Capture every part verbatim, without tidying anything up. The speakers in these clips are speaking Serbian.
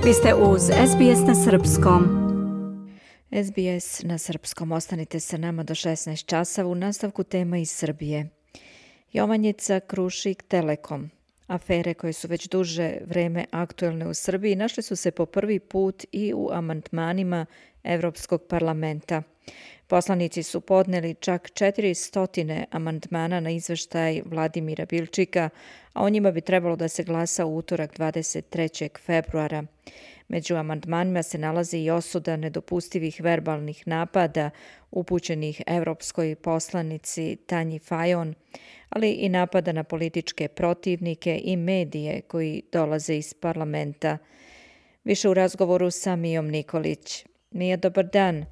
Vi ste uz es be es na srpskom. es be es na srpskom. Ostanite sa nama do šesnaest časova u nastavku tema iz Srbije. Jovanjica, Krušik, Telekom. Afere koje su već duže vreme aktuelne u Srbiji našle su se po prvi put i u amandmanima Evropskog parlamenta. Poslanici su podneli čak četiristo amandmana na izveštaj Vladimira Bilčika, a o njima bi trebalo da se glasa u utorak dvadeset trećeg februara. Među amandmanima se nalazi i osuda nedopustivih verbalnih napada upućenih evropskoj poslanici Tanji Fajon, ali i napada na političke protivnike i medije koji dolaze iz parlamenta. Više u razgovoru sa Mijom Nikolić. Mija, dobar dan.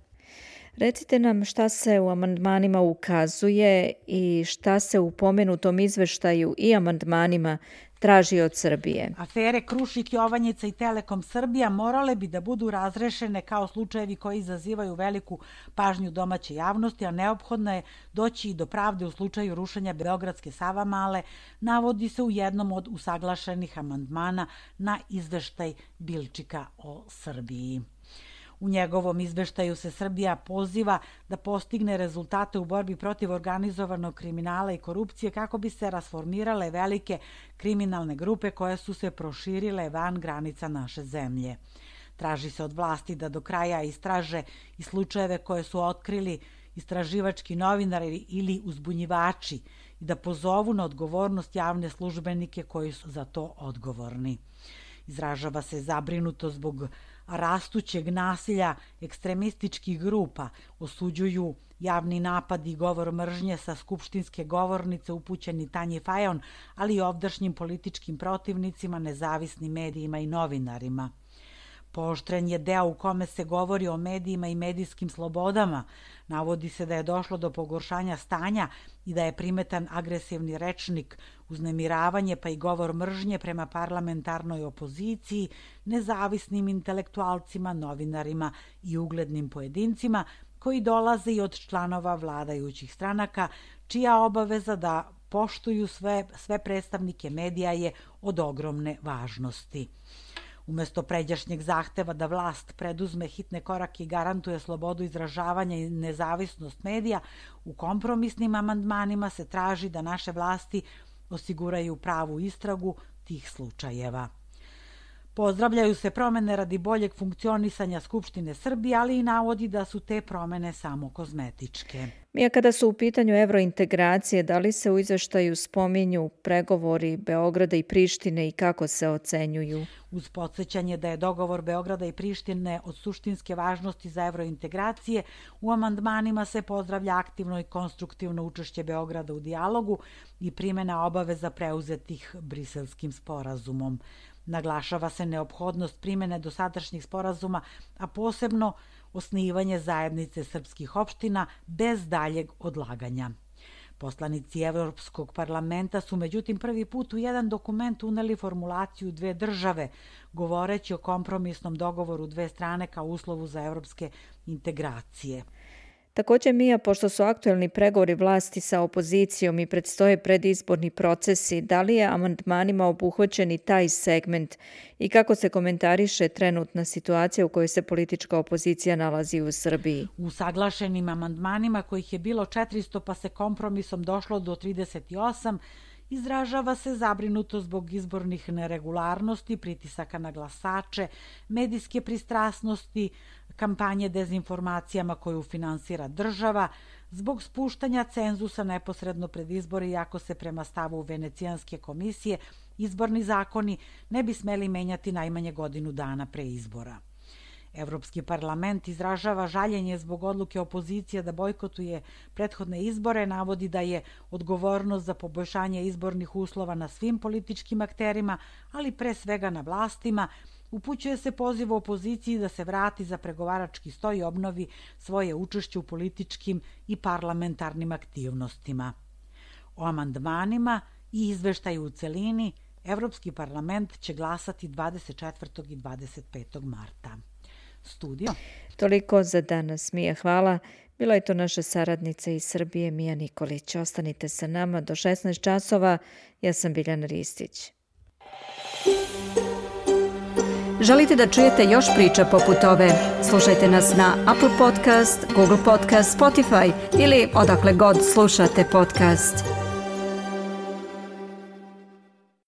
Recite nam šta se u amandmanima ukazuje i šta se u pomenutom izveštaju i amandmanima traži od Srbije. Afere Krušik, Jovanjica i Telekom Srbija morale bi da budu razrešene kao slučajevi koji izazivaju veliku pažnju domaće javnosti, a neophodno je doći i do pravde u slučaju rušenja Beogradske Savamale, navodi se u jednom od usaglašenih amandmana na izveštaj Bilčika o Srbiji. U njegovom izveštaju se Srbija poziva da postigne rezultate u borbi protiv organizovanog kriminala i korupcije kako bi se rasformirale velike kriminalne grupe koje su se proširile van granica naše zemlje. Traži se od vlasti da do kraja istraže i slučajeve koje su otkrili istraživački novinari ili uzbunjivači i da pozovu na odgovornost javne službenike koji su za to odgovorni. Izražava se zabrinuto zbog rastućeg nasilja ekstremističkih grupa, osuđuju javni napad i govor mržnje sa skupštinske govornice upućeni Tanji Fajon, ali i ovdašnjim političkim protivnicima, nezavisnim medijima i novinarima. Pooštren je deo u kome se govori o medijima i medijskim slobodama. Navodi se da je došlo do pogoršanja stanja i da je primetan agresivni rečnik, uznemiravanje pa i govor mržnje prema parlamentarnoj opoziciji, nezavisnim intelektualcima, novinarima i uglednim pojedincima koji dolaze i od članova vladajućih stranaka, čija obaveza da poštuju sve, sve predstavnike medija je od ogromne važnosti. Umesto pređašnjeg zahteva da vlast preduzme hitne korake i garantuje slobodu izražavanja i nezavisnost medija, u kompromisnim amandmanima se traži da naše vlasti osiguraju pravu istragu tih slučajeva. Pozdravljaju se promene radi boljeg funkcionisanja Skupštine Srbije, ali i navodi da su te promene samo kozmetičke. Mija, kada su u pitanju evrointegracije, da li se u izveštaju spominju pregovori Beograda i Prištine i kako se ocenjuju? Uz podsjećanje da je dogovor Beograda i Prištine od suštinske važnosti za evrointegracije, u amandmanima se pozdravlja aktivno i konstruktivno učešće Beograda u dijalogu i primjena obaveza preuzetih Briselskim sporazumom. Naglašava se neophodnost primjene dosadašnjih sporazuma, a posebno osnivanje zajednice srpskih opština bez daljeg odlaganja. Poslanici Evropskog parlamenta su međutim prvi put u jedan dokument uneli formulaciju dve države, govoreći o kompromisnom dogovoru dve strane kao uslovu za evropske integracije. Također, Mija, pošto su aktuelni pregovori vlasti sa opozicijom i predstoje predizborni procesi, da li je amandmanima obuhvaćen i taj segment i kako se komentariše trenutna situacija u kojoj se politička opozicija nalazi u Srbiji? U saglašenim amandmanima, kojih je bilo četiristo pa se kompromisom došlo do trideset osam, izražava se zabrinuto zbog izbornih neregularnosti, pritisaka na glasače, medijske pristrasnosti, kampanje dezinformacijama koju finansira država, zbog spuštanja cenzusa neposredno pred izbore, iako se prema stavu Venecijanske komisije izborni zakoni ne bi smeli menjati najmanje godinu dana pre izbora. Evropski parlament izražava žaljenje zbog odluke opozicije da bojkotuje prethodne izbore, navodi da je odgovornost za poboljšanje izbornih uslova na svim političkim akterima, ali pre svega na vlastima. Upućuje se poziv opoziciji da se vrati za pregovarački sto i obnovi svoje učešće u političkim i parlamentarnim aktivnostima. O amandmanima i izveštaju u celini Evropski parlament će glasati dvadeset četvrtog i dvadeset petog marta. Studio. Toliko za danas, Mija, hvala. Bila je to naša saradnica iz Srbije, Mija Nikolić. Ostanite sa nama do šesnaest časova. Ja sam Biljana Ristić. Želite da čujete još priča poput ove? Slušajte nas na Apple Podcast, Google Podcast, Spotify ili odakle god slušate podcast.